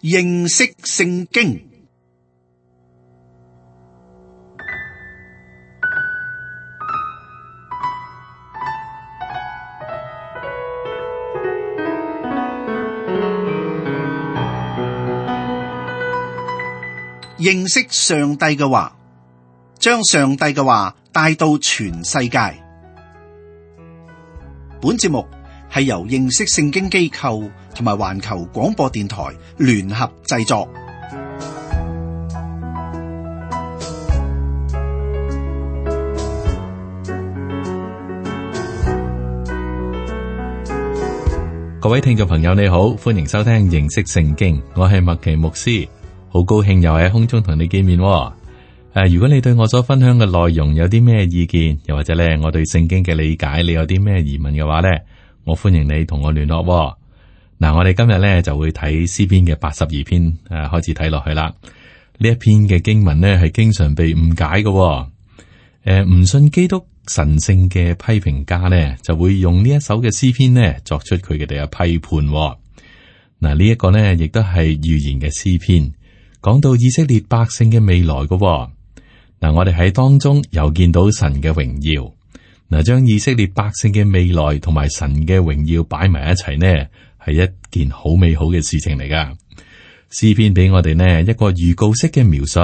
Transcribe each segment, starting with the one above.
認識聖經。認識上帝嘅話，將上帝嘅話帶到全世界。本節目係由認識聖經機構同埋環球廣播電台聯合製作。各位聽眾朋友你好，歡迎收聽認識聖經，我係麥奇牧師，好高興又喺空中同你見面。如果你對我所分享嘅內容有啲咩意見，又或者咧我對聖經嘅理解，你有啲咩疑問嘅話咧，我歡迎你同我聯絡。嗱，我哋今日咧就會睇詩篇嘅82篇，開始睇落去啦。呢一篇嘅經文咧係經常被誤解嘅。唔信基督神聖嘅批評家咧，就會用呢一首嘅詩篇咧作出佢哋嘅批判。嗱，呢一個咧亦都係預言嘅詩篇，講到以色列百姓嘅未來嘅。嗱，我哋喺當中又見到神嘅榮耀。嗱，將以色列百姓嘅未來同埋神嘅榮耀擺埋一齊呢，係一件好美好嘅事情嚟噶。詩篇俾我哋呢一個預告式嘅描述，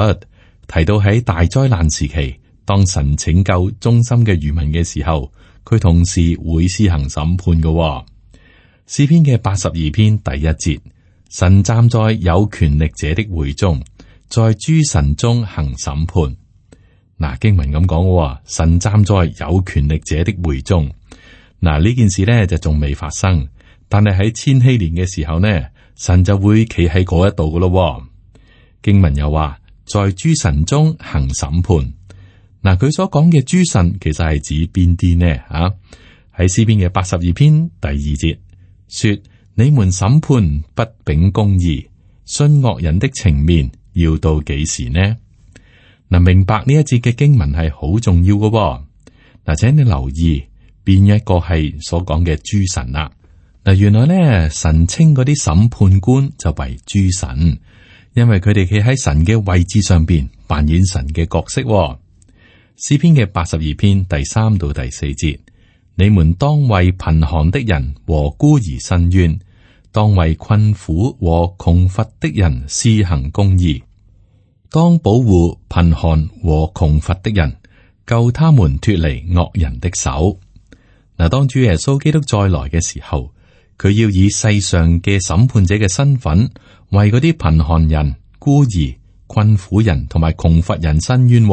提到喺大災難時期，當神拯救忠心嘅餘民嘅時候，佢同時會施行審判嘅。詩篇嘅82篇第一節，神站在有權力者的會中，在諸神中行審判。嗱，經文咁講，神站在有權力者的會中。嗱，呢件事呢就仲未發生，但係喺千禧年嘅時候呢，神就會企喺嗰一度噶咯。經文又話，在諸神中行審判。嗱，佢所講嘅諸神其實係指邊啲呢？喺詩篇嘅82篇第2節說：你們審判不秉公義，徇惡人的情面，要到幾時呢？嗱，明白呢一節嘅經文係好重要嘅。嗱，請你留意邊一個係所講嘅諸神啦。嗱，原來咧神稱嗰啲審判官就為諸神，因為佢哋企喺神嘅位置上邊扮演神嘅角色。詩篇嘅82篇第3到第4節，你們當為貧寒的人和孤兒申冤，當為困苦和窮乏的人施行公義。當保護貧寒和窮乏的人，救他們脫離惡人的手。嗱，當主耶穌基督再來嘅時候，佢要以世上嘅審判者嘅身份，為嗰啲貧寒人、孤兒、困苦人同埋窮乏人申冤。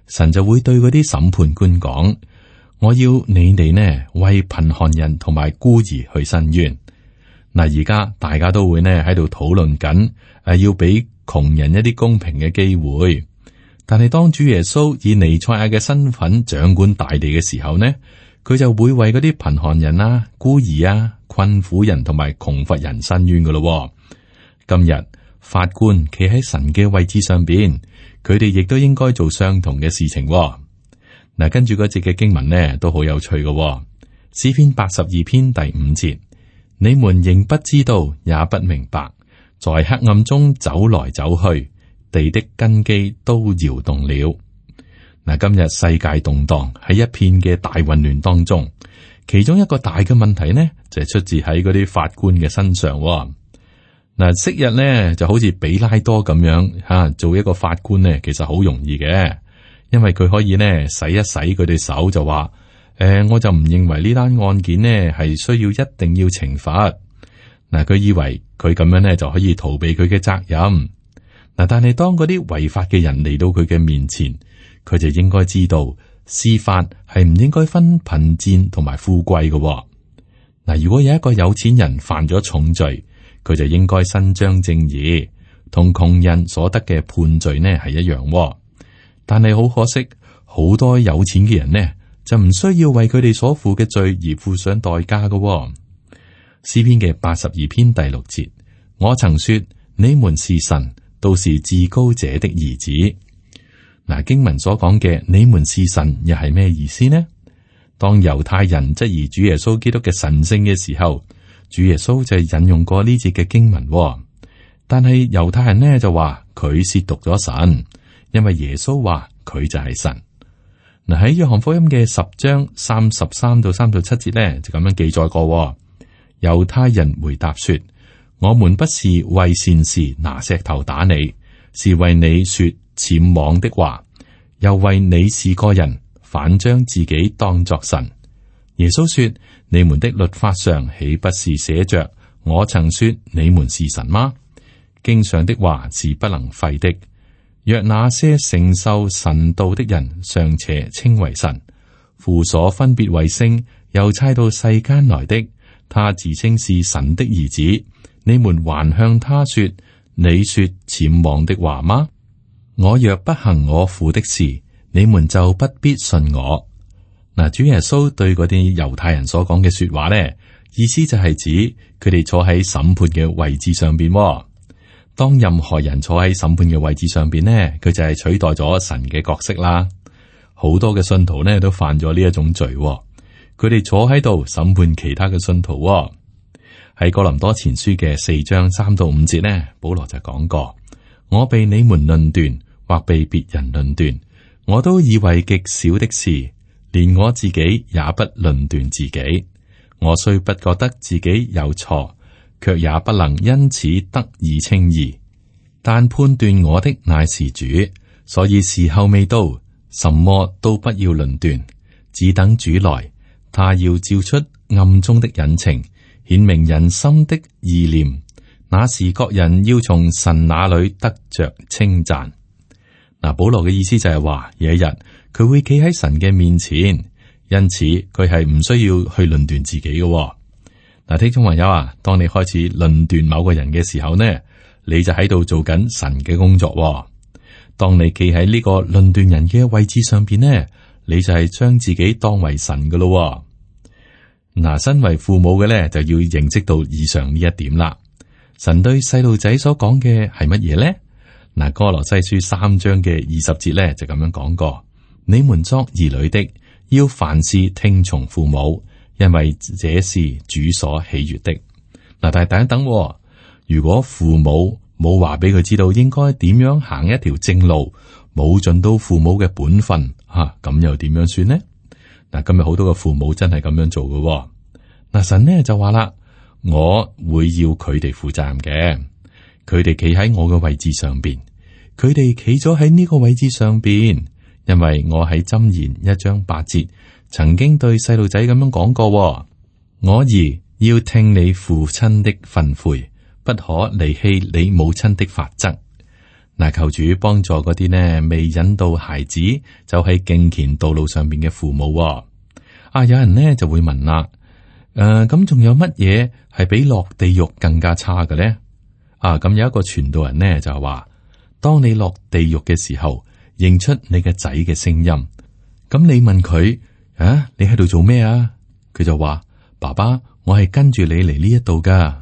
神就會對嗰啲審判官講：我要你哋呢為貧寒人同埋孤兒去申冤。嗱，而家大家都會呢喺度討論緊，要俾窮人一啲公平嘅機會。但係當主耶穌以彌賽亞嘅身份掌管大地嘅時候呢，佢就會為嗰啲貧寒人啊、孤兒啊、困苦人同埋窮乏人申冤噶咯。今日法官企喺神嘅位置上邊，佢哋亦都應該做相同嘅事情。嗱，跟住嗰節嘅經文呢都好有趣嘅。詩篇82篇第5節，你們仍不知道，也不明白，在黑暗中走來走去，地的根基都搖動了。嗱，今日世界動盪，喺一片嘅大混亂當中，其中一個大嘅問題呢，就係出自喺嗰啲法官嘅身上。嗱，昔日呢就好似比拉多咁樣做一個法官呢，其實好容易嘅，因為佢可以呢洗一洗佢哋手就話，我就唔認為呢單案件呢係需要一定要懲罰。嗱，佢以為佢咁樣呢就可以逃避佢嘅責任。嗱，但係當嗰啲違法嘅人嚟到佢嘅面前，佢就應該知道司法係唔應該分貧賤同埋富貴嘅。嗱，如果有一個有錢人犯咗重罪，佢就應該伸張正義，同窮人所得嘅判罪呢係一樣。但係好可惜，好多有錢嘅人呢就唔需要為佢哋所負嘅罪而付上代價嘅。詩篇嘅82篇第6節，我曾說你們是神，都是至高者的兒子。嗱，經文所講嘅你們是神又係咩意思呢？當猶太人質疑主耶穌基督嘅神聖嘅時候，主耶穌就引用過呢節嘅經文。但係猶太人呢就話佢褻瀆咗神，因為耶穌話佢就係神。嗱，喺約翰福音嘅10章33到37節呢就咁樣記載過。猶太人回答說：我們不是為善事拿石頭打你，是為你說僭妄的話，又為你是個人，反將自己當作神。耶穌說：你們的律法上豈不是寫着我曾說你們是神嗎？經上的話是不能廢的。若那些承受神道的人尚且稱為神，父所分別為聖又差到世間來的，他自稱是神的兒子，你們還向他說你說僭妄的話嗎？我若不行我父的事，你們就不必信我。嗱，主耶穌對嗰啲猶太人所講嘅說話呢，意思就係指佢哋坐喺審判嘅位置上邊。當任何人坐喺審判嘅位置上邊呢，佢就係取代咗神嘅角色啦。好多嘅信徒呢都犯咗呢一種罪，佢哋坐喺度審判其他嘅信徒。喺哥林多前書嘅4章3到5節呢，保羅就講過：我被你們論斷，或被別人論斷，我都以為極小的事，連我自己也不論斷自己。我雖不覺得自己有錯，卻也不能因此得以稱義。但判斷我的乃是主，所以時候未到，什麼都不要論斷，只等主來。他要照出暗中的隱情，顯明人心的意念。那時各人要從神那裏得着稱讚。嗱，保羅嘅意思就係話，有一日佢會企喺神嘅面前，因此佢係唔需要去論斷自己嘅。嗱，聽眾朋友啊，當你開始論斷某個人嘅時候呢，你就喺度做緊神嘅工作。當你企喺呢個論斷人嘅位置上邊呢，你就係將自己當為神噶咯。嗱，身為父母嘅咧，就要認識到以上呢一點啦。神對細路仔所講嘅係乜嘢咧？嗱，哥羅西書3章嘅20節咧就咁樣講過：你們作兒女的，要凡事聽從父母，因為這是主所喜悅的。嗱，但係等一等，如果父母冇話俾佢知道應該點樣行一條正路，冇盡到父母嘅本分，咁又點樣算呢？嗱，今日好多嘅父母真係咁樣做嘅。嗱，神呢就話啦，我會要佢哋負責任嘅，佢哋企喺我嘅位置上邊，佢哋企咗喺呢個位置上邊，因為我喺箴言1章8節曾經對細路仔咁樣講過：我兒要聽你父親的訓誨，不可離棄你母親的法則。嗱，求主幫助嗰啲呢未引導孩子走喺敬虔道路上邊嘅父母。有人呢就會問啦，咁仲有乜嘢係比落地獄更加差嘅咧？咁有一個傳道人呢就話，當你落地獄嘅時候，認出你嘅仔嘅聲音，咁你問佢，你喺度做咩啊？佢就話，爸爸，我係跟住你嚟呢一度噶。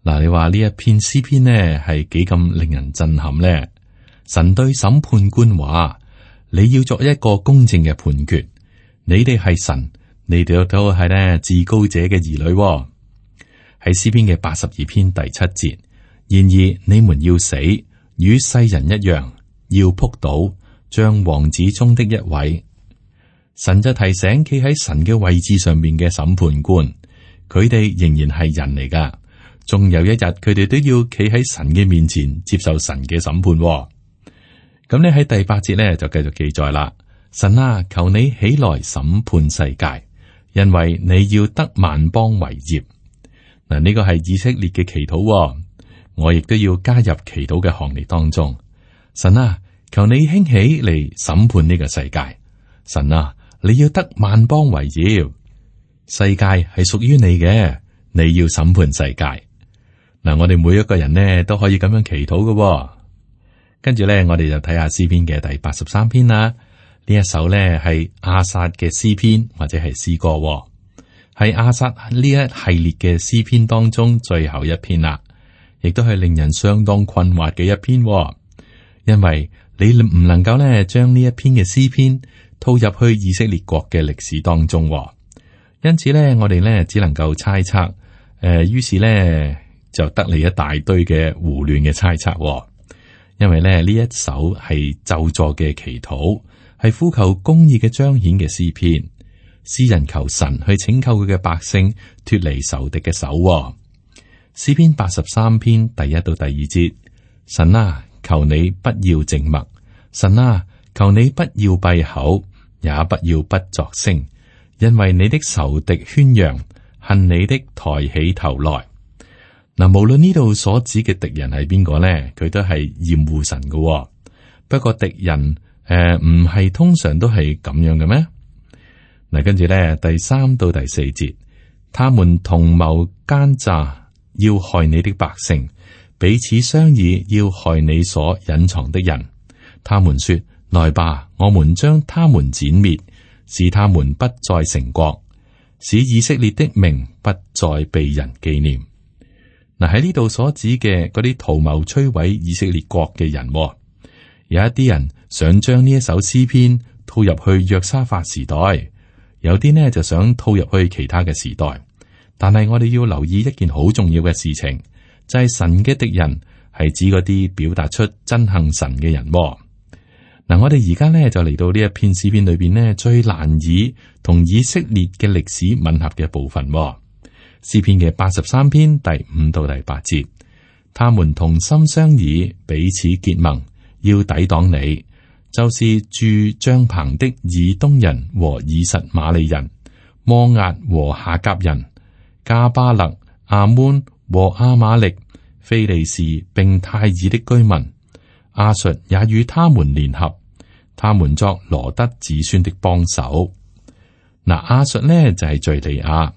嗱，你話呢一篇詩篇呢係幾咁令人震撼呢？神對審判官話：你要作一個公正嘅判決。你哋係神，你哋都係呢至高者嘅兒女。喺詩篇嘅82篇第7節，然而你們要死，與世人一樣，要仆倒，像王子中的一位。神就提醒企喺神嘅位置上面嘅審判官，佢哋仍然係人嚟噶。仲有一日，佢哋都要企喺神嘅面前接受神嘅審判。咁咧喺第8節咧就繼續記載啦。神啊，求你起來審判世界，因為你要得萬邦為業。嗱，呢個係以色列嘅祈禱，我亦都要加入祈禱嘅行列當中。神啊，求你興起嚟審判呢個世界。神啊，你要得萬邦為業，世界係屬於你嘅，你要審判世界。嗱，我哋每一個人呢都可以咁樣祈禱嘅。跟住咧，我哋就睇下詩篇嘅第83篇啦。呢一首咧係亞薩嘅詩篇或者係詩歌，係亞薩呢一系列嘅詩篇當中最後一篇啦，亦都係令人相當困惑嘅一篇。因為你唔能夠咧將呢一篇嘅詩篇套入去以色列國嘅歷史當中，因此咧我哋咧只能夠猜測。於是咧就得嚟一大堆嘅胡亂嘅猜測。因為咧呢一首係咒詛嘅祈禱，係呼求公義嘅彰顯嘅詩篇。詩人求神去拯救佢嘅百姓脫離仇敵嘅手。詩篇83篇第1到第2節：神啊，求你不要靜默；神啊，求你不要閉口，也不要不作聲，因為你的仇敵喧嚷，恨你的抬起頭來。嗱，無論呢度所指嘅敵人係邊個咧，佢都係厭惡神嘅。不過敵人唔係通常都係咁樣嘅咩？嗱，跟住咧第3到第4節，他們同謀奸詐，要害你的百姓，彼此商議，要害你所隱藏的人。他們說：來吧，我們將他們剪滅，使他們不再成國，使以色列的名不再被人紀念。嗱，喺呢度所指嘅嗰啲圖謀摧毀以色列國嘅人，有一啲人想將呢一首詩篇套入去約沙法時代，有啲呢就想套入去其他嘅時代。但係我哋要留意一件好重要嘅事情，就係神嘅敵人係指嗰啲表達出憎恨神嘅人。嗱，我哋而家呢就嚟到呢一篇詩篇裏邊呢最難以同以色列嘅歷史吻合嘅部分。詩篇嘅83篇第5到第8節，他們同心商議，彼此結盟，要抵擋你，就是住帳棚的以東人和以實瑪利人、摩押和夏甲人、加巴勒、亞捫和亞瑪力、非利士並泰爾的居民。亞述也與他們聯合，他們作羅得子孫的幫手。嗱，亞述呢就係敘利亞，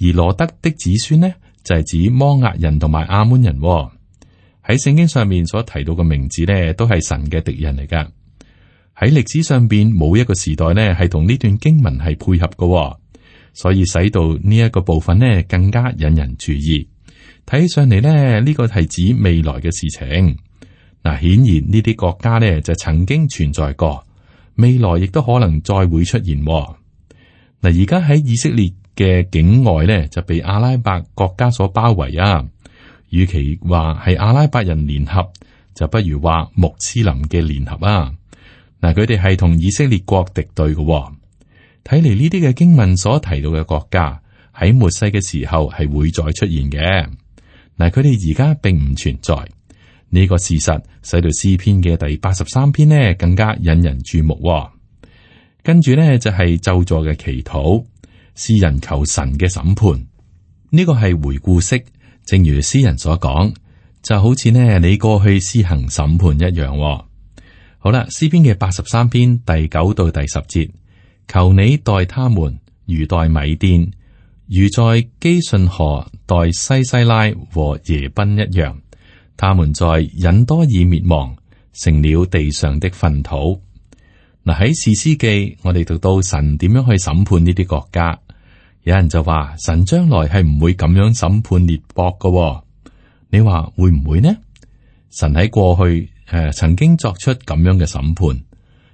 而羅得的子孫呢就係指摩押人同埋亞捫人。喺聖經上面所提到嘅名字呢，都係神嘅敵人嚟噶。喺歷史上邊冇一個時代呢係同呢段經文係配合嘅，所以使到呢一個部分呢更加引人注意。睇上嚟呢，呢個係指未來嘅事情。嗱，顯然呢啲國家呢就曾經存在過，未來亦都可能再會出現。嗱，而家喺以色列嘅境外呢就被阿拉伯國家所包圍啊。與其話係阿拉伯人聯合，就不如話穆斯林嘅聯合啊。嗱，佢哋係同以色列國敵對嘅。睇嚟呢啲嘅經文所提到嘅國家喺末世嘅時候係會再出現嘅。嗱，佢哋而家並唔存在。呢個事實使到詩篇嘅第83篇呢更加引人注目。跟住呢就係咒詛嘅祈禱，詩人求神嘅審判。呢個係回顧式，正如詩人所講，就好似呢你過去施行審判一樣。好啦，詩篇嘅83篇第9到第10節，求你待他們如待米甸，如在基順河待西西拉和耶賓一樣。他們在隱多爾滅亡，成了地上的糞土。嗱，喺士師記，我哋讀到神點樣去審判呢啲國家。有人就話神將來係唔會咁樣審判列國噶。你話會唔會呢？神喺過去曾經作出咁樣嘅審判，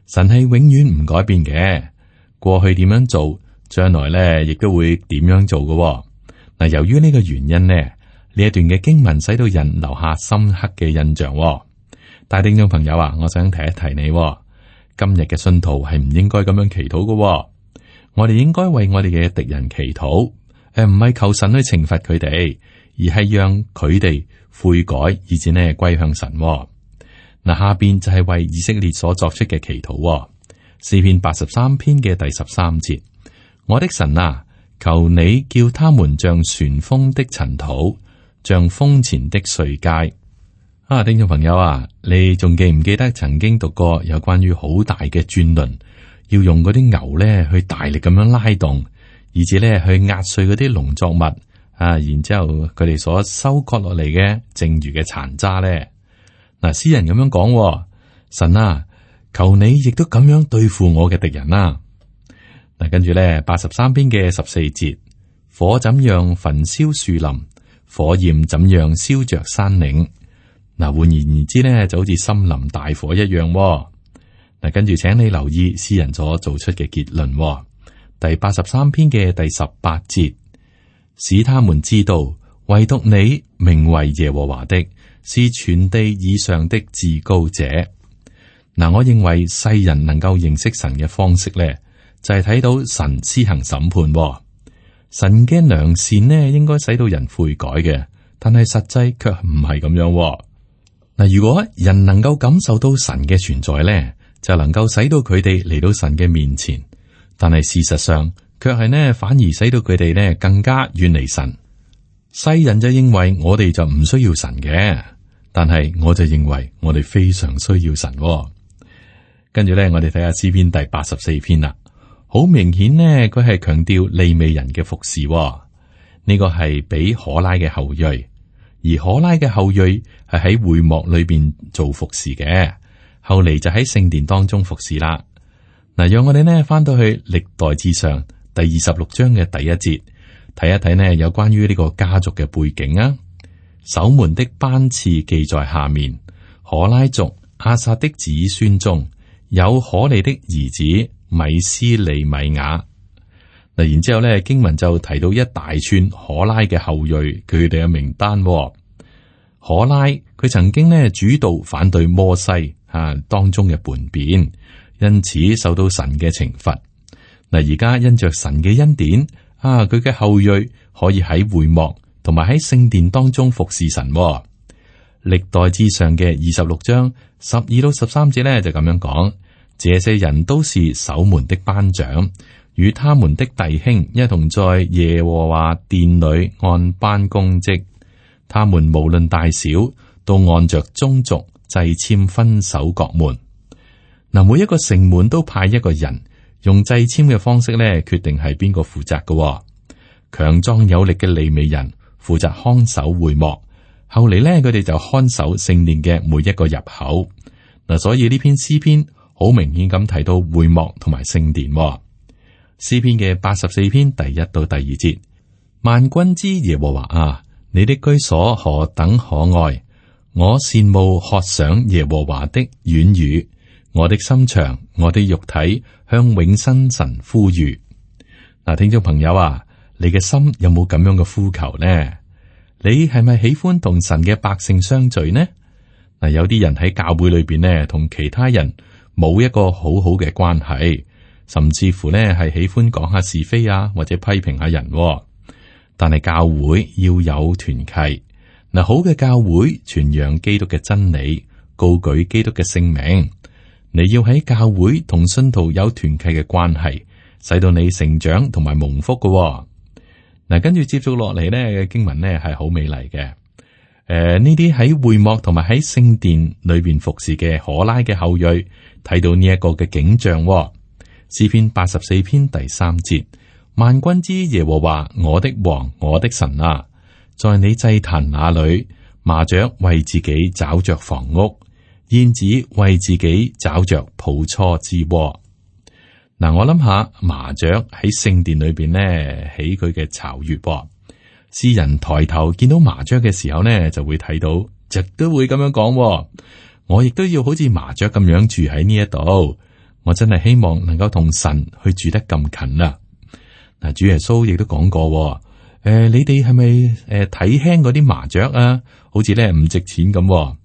神係永遠唔改變嘅。過去點樣做，將來咧亦都會點樣做噶。嗱，由於呢個原因呢，呢一段嘅經文使到人留下深刻嘅印象。大聽眾朋友啊，我想提一提你，今日嘅信徒係唔應該咁樣祈禱嘅。我哋應該為我哋嘅敵人祈禱，唔係求神去懲罰佢哋，而係讓佢哋悔改，以至呢歸向神。嗱，下邊就係為以色列所作出嘅祈禱。詩篇83篇嘅第13節，我的神啊，求你叫他們像旋風的塵土，像風前的碎秸。聽眾朋友啊，你仲記唔記得曾經讀過有關於好大嘅轉輪，要用嗰啲牛咧去大力咁樣拉動，以至咧去壓碎嗰啲農作物啊，然之後佢哋所收割落嚟嘅剩餘嘅殘渣咧。嗱，詩人咁樣講，神啊，求你亦都咁樣對付我嘅敵人啦。嗱，跟住咧83篇嘅14節，火怎樣焚燒樹林，火焰怎樣燒着山嶺。嗱，換言之咧，就好似森林大火一樣。嗱，跟住請你留意詩人所做出嘅結論。第83篇嘅第18節，使他們知道唯獨你名為耶和華的，是全地以上的至高者。嗱，我認為世人能夠認識神嘅方式咧，就係睇到神施行審判。神嘅良善呢，應該使到人悔改嘅，但係實際卻唔係咁樣。嗱，如果人能夠感受到神嘅存在咧，就能夠使到佢哋嚟到神嘅面前。但係事實上，卻係呢，反而使到佢哋呢更加遠離神。世人就認為我哋就唔需要神嘅，但係我就認為我哋非常需要神。跟住咧，我哋睇下詩篇第84篇啦。好明顯呢，佢係強調利未人嘅服侍。呢個係俾可拉嘅後裔，而可拉嘅後裔係喺會幕裏邊做服侍嘅，後嚟就喺聖殿當中服侍啦。嗱，讓我哋呢翻到去歷代志上第26章嘅第1節，睇一睇呢有關於呢個家族嘅背景啊。守門的班次記在下面，可拉族亞薩的子孫中有可利的兒子米斯利米亞。嗱，然之後咧，經文就提到一大串可拉嘅後裔，佢哋嘅名單。可拉佢曾經呢主導反對摩西當中嘅叛變，因此受到神嘅懲罰。嗱，而家因着神嘅恩典佢嘅後裔可以喺會幕同埋喺聖殿當中服侍神。歷代志上嘅26章12到13節咧就咁樣講：這些人都是守門的班長，與他們的弟兄一同在耶和華殿裏按班供職。他們無論大小，都按着宗族掣籤分守各門。嗱，每一個城門都派一個人，用掣籤嘅方式咧決定係邊個負責嘅。強壯有力嘅利未人負責看守會幕。後嚟咧，佢哋就看守聖殿嘅每一個入口。嗱，所以呢篇詩篇好明顯咁提到會幕同埋聖殿。詩篇嘅84篇第1到第2節：萬軍之耶和華啊，你的居所何等可愛！我羨慕渴想耶和華的院宇，我的心腸，我的肉體向永生神呼籲。嗱，聽眾朋友啊，你嘅心有冇咁樣嘅呼求呢？你係咪喜歡同神嘅百姓相聚呢？嗱，有啲人喺教會裏邊呢，同其他人冇一個好好嘅關係，甚至乎呢係喜歡講下是非啊，或者批評下人。但係教會要有團契，嗱，好嘅教會傳揚基督嘅真理，高舉基督嘅聖名。你要喺教會同信徒有團契嘅關係，使到你成長同埋蒙福嘅。嗱，跟住接續落嚟呢嘅經文呢係好美麗嘅。呢啲喺會幕同埋喺聖殿裏邊服侍嘅可拉嘅後裔，睇到呢一個嘅景象。詩篇84篇第3節：萬軍之耶和華，我的王，我的神啊，在你祭壇那裏，麻雀為自己找着房屋，燕子為自己找着抱雛之窩。嗱，我諗下麻雀喺聖殿裏邊呢起佢嘅巢穴。詩人抬頭見到麻雀嘅時候呢，就會睇到，亦都會咁樣講。我亦都要好似麻雀咁樣住喺呢一度。我真係希望能夠同神去住得咁近啊！嗱，主耶穌亦都講過，你哋係咪睇輕嗰啲麻雀啊？好似咧唔值錢咁。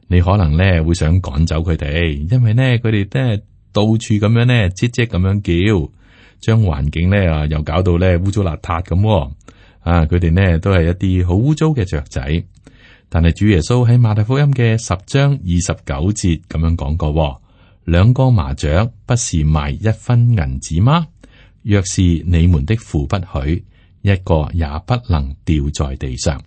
你可能咧會想趕走佢哋，因為咧佢哋咧到處咁樣咧唧唧咁樣叫，將環境咧又搞到咧污糟邋遢咁。佢哋呢都係一啲好污糟嘅雀仔。但係主耶穌喺馬太福音嘅10章29節咁樣講過，兩個麻雀不是賣1分銀子嗎？若是你們的父不許，一個也不能掉在地上。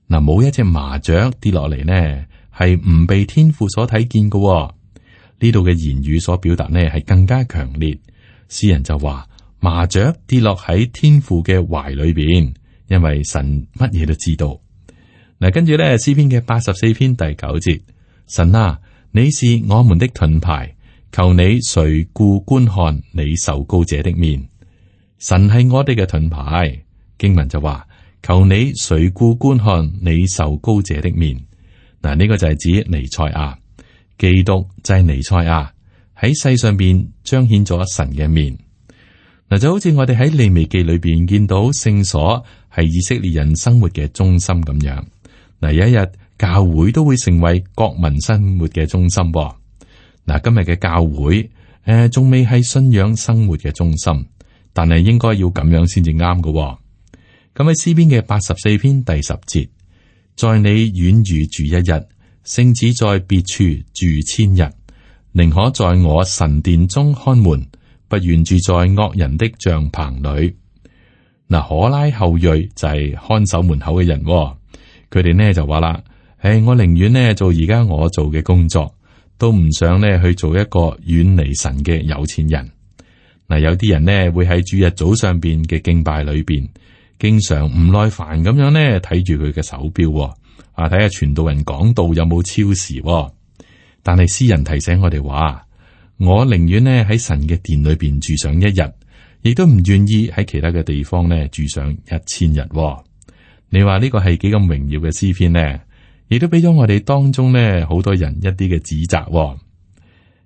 嗱，冇一隻麻雀跌落嚟呢，係唔被天父所睇見嘅。呢度嘅言語所表達呢，係更加強烈。詩人就話麻雀跌落喺天父嘅懷裏邊，因為神乜嘢都知道。嗱，跟住咧詩篇嘅84篇第9節，神啊，你是我們的盾牌，求你垂顧觀看你受膏者的面。神係我哋嘅盾牌，經文就話求你垂顧觀看你受膏者的面。嗱，呢個就係指彌賽亞，基督就係彌賽亞喺世上邊彰顯咗神嘅面。嗱，就好似我哋喺利未記裏邊見到聖所係以色列人生活嘅中心咁樣。嗱，有一日教會都會成為國民生活嘅中心。嗱，今日嘅教會仲未係信仰生活嘅中心，但係應該要咁樣先至啱嘅。咁喺詩篇嘅84篇第10節，在你遠遇住一日，勝似在別處住千日，寧可在我神殿中看門，不願住在惡人的帳棚裏。嗱，可拉後裔就係看守門口嘅人，佢哋呢就話啦：我寧願呢做而家我做嘅工作，都唔想呢去做一個遠離神嘅有錢人。嗱，有啲人呢會喺主日早上邊嘅敬拜裏邊，經常唔耐煩咁樣呢睇住佢嘅手錶，睇下傳道人講道有冇超時。但係詩人提醒我哋話：我寧願呢喺神嘅殿裏邊住上一日，亦都唔願意喺其他嘅地方呢住上1000日。你話呢個係幾咁榮耀嘅詩篇呢？亦都俾咗我哋當中呢好多人一啲嘅指責。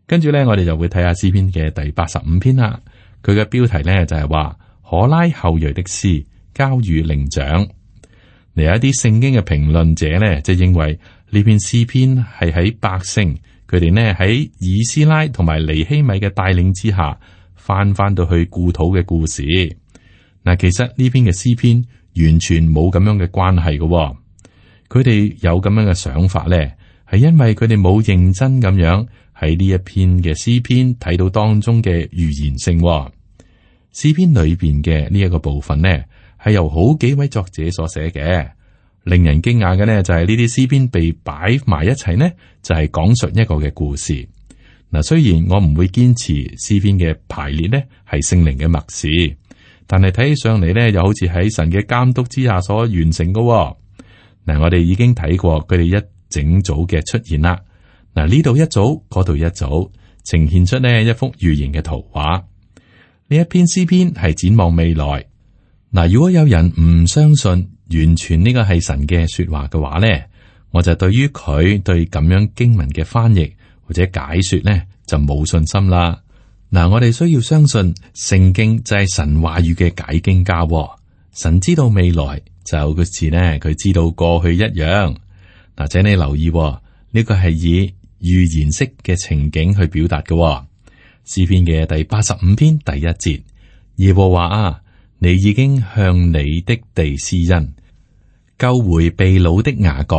跟住呢，我哋就會睇下詩篇嘅第85篇啦。佢嘅標題呢就係話可拉後裔的詩交與伶長。嚟，有一啲聖經嘅評論者呢，就認為呢篇詩篇係喺百姓佢哋呢喺以斯拉同埋尼希米嘅帶領之下翻到去故土嘅故事。嗱，其實呢篇嘅詩篇完全冇咁樣嘅關係嘅。佢哋有咁樣嘅想法呢，係因為佢哋冇認真咁樣喺呢一篇嘅詩篇睇到當中嘅預言性。詩篇裏邊嘅呢一個部分呢，係由好幾位作者所寫嘅。令人驚訝嘅呢，就係呢啲詩篇被擺埋一齊呢，就係講述一個嘅故事。嗱，雖然我唔會堅持詩篇嘅排列呢係聖靈嘅默示，但係睇起上嚟呢，又好似喺神嘅監督之下所完成嘅。嗱，我哋已經睇過佢哋一整組嘅出現啦。嗱，呢度一組，嗰度一組，呈現出呢一幅預言嘅圖畫。呢一篇詩篇係展望未來。嗱，如果有人唔相信完全呢個係神嘅說話嘅話呢，我就對於佢對咁樣經文嘅翻譯或者解說呢就冇信心啦。嗱，我哋需要相信聖經就係神話語嘅解經家，神知道未來就好似呢佢知道過去一樣。嗱，請你留意呢個係以預言式嘅情景去表達嘅。詩篇嘅第85篇第1節，耶和華啊，你已經向你的地施恩，救回被擄的雅各。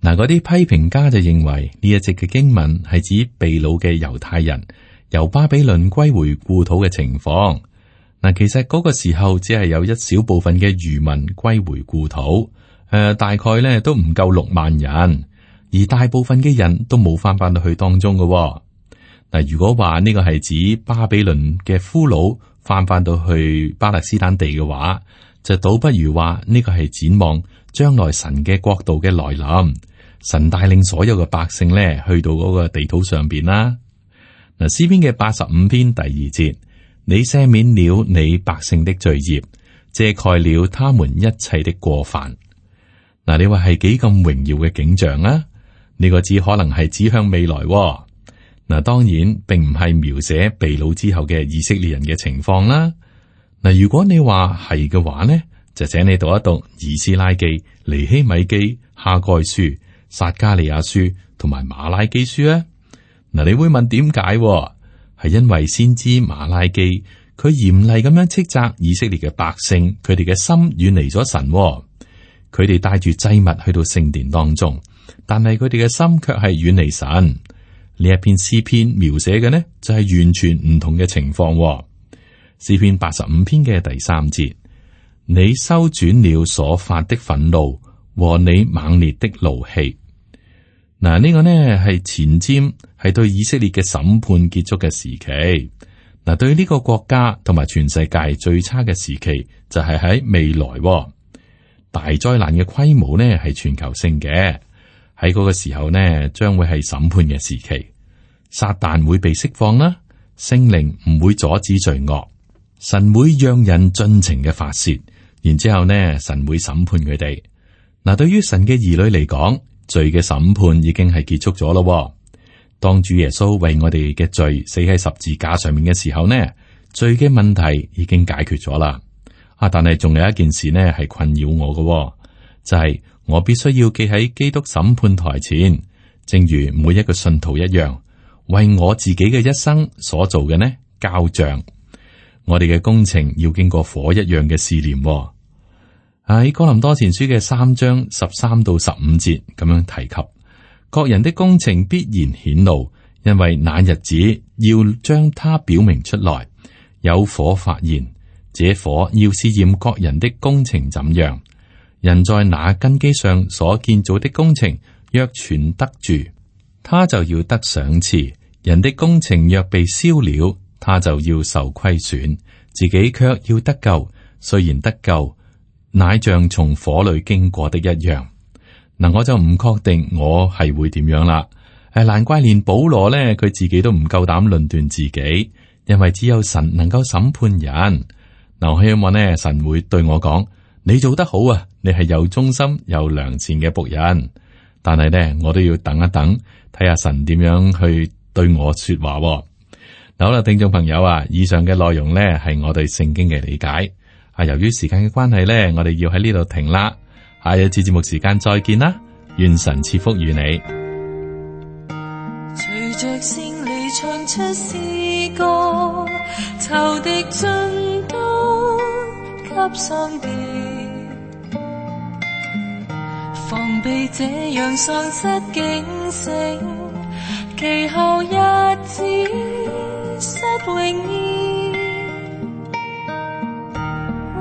嗱，嗰啲批評家就認為呢一節嘅經文係指被擄嘅猶太人由巴比倫歸回故土嘅情況。嗱，其實嗰個時候只係有一小部分嘅餘民歸回故土，大概咧都唔夠6萬人，而大部分嘅人都冇翻到去當中嘅。嗱，如果話呢個係指巴比倫嘅俘虜翻到去巴勒斯坦地嘅話，就倒不如話呢個係展望將來神嘅國度嘅來臨，神帶領所有嘅百姓咧去到嗰個地土上邊啦。嗱，詩篇嘅85篇第2節，你赦免了你百姓的罪孽，遮蓋了他們一切的過犯。嗱，你話係幾咁榮耀嘅景象啊？呢個只可能係指向未來。嗱，當然並唔係描寫被擄之後嘅以色列人嘅情況啦。嗱，如果你話係嘅話呢，就請你讀一讀以斯拉記、尼希米記、哈該書、撒迦利亞書同埋馬拉基書啊。嗱，你會問點解？係因為先知馬拉基佢嚴厲咁樣斥責以色列嘅百姓，佢哋嘅心遠離咗神。佢哋帶住祭物去到聖殿當中，但係佢哋嘅心卻係遠離神。呢一篇詩篇描寫嘅呢，就係完全唔同嘅情況。詩篇85篇嘅第3節，你收轉了所發的憤怒和你猛烈的怒氣。嗱，呢個呢係前瞻，係對以色列嘅審判結束嘅時期。嗱，對呢個國家同埋全世界最差嘅時期就係喺未來。大災難嘅規模呢係全球性嘅。喺嗰個時候呢，將會係審判嘅時期，撒旦會被釋放啦，聖靈唔會阻止罪惡，神會讓人盡情嘅發洩，然之後呢，神會審判佢哋。嗱，對於神嘅兒女嚟講，罪嘅審判已經係結束咗咯。當主耶穌為我哋嘅罪死喺十字架上面嘅時候呢，罪嘅問題已經解決咗啦。但係仲有一件事呢係困擾我嘅，就係我必須要記喺基督審判台前，正如每一個信徒一樣，為我自己嘅一生所做嘅呢交賬。我哋嘅工程要經過火一樣嘅試煉。喺哥林多前書嘅3章13到15節咁樣提及，各人的工程必然顯露，因為那日子要將它表明出來，有火發現，這火要試驗各人的工程怎樣。人在那根基上所建造的工程，若存得住，他就要得賞賜；人的工程若被燒了，他就要受虧損，自己卻要得救。雖然得救，乃像從火裏經過的一樣。嗱，我就唔確定我係會點樣啦。難怪連保羅呢，佢自己都唔夠膽論斷自己，因為只有神能夠審判人。嗱，我希望呢，神會對我講：你做得好啊，你係有忠心、有良善嘅僕人。但係呢，我都要等一等，睇下神點樣去對我說話。嗱，好啦，聽眾朋友啊，以上嘅內容呢係我對聖經嘅理解。由於時間嘅關係呢，我哋要喺呢度停啦。下一次節目時間再見啦，願神賜福與你。隨着勝利唱出詩歌，仇敵盡都給喪掉，防備這樣喪失警醒，其後日子失榮耀。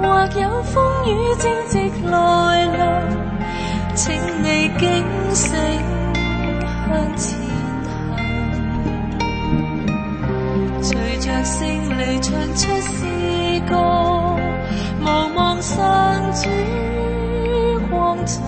或有風雨正直來臨，請你警醒向前行。隨着勝利唱出詩歌，無望上主光彩。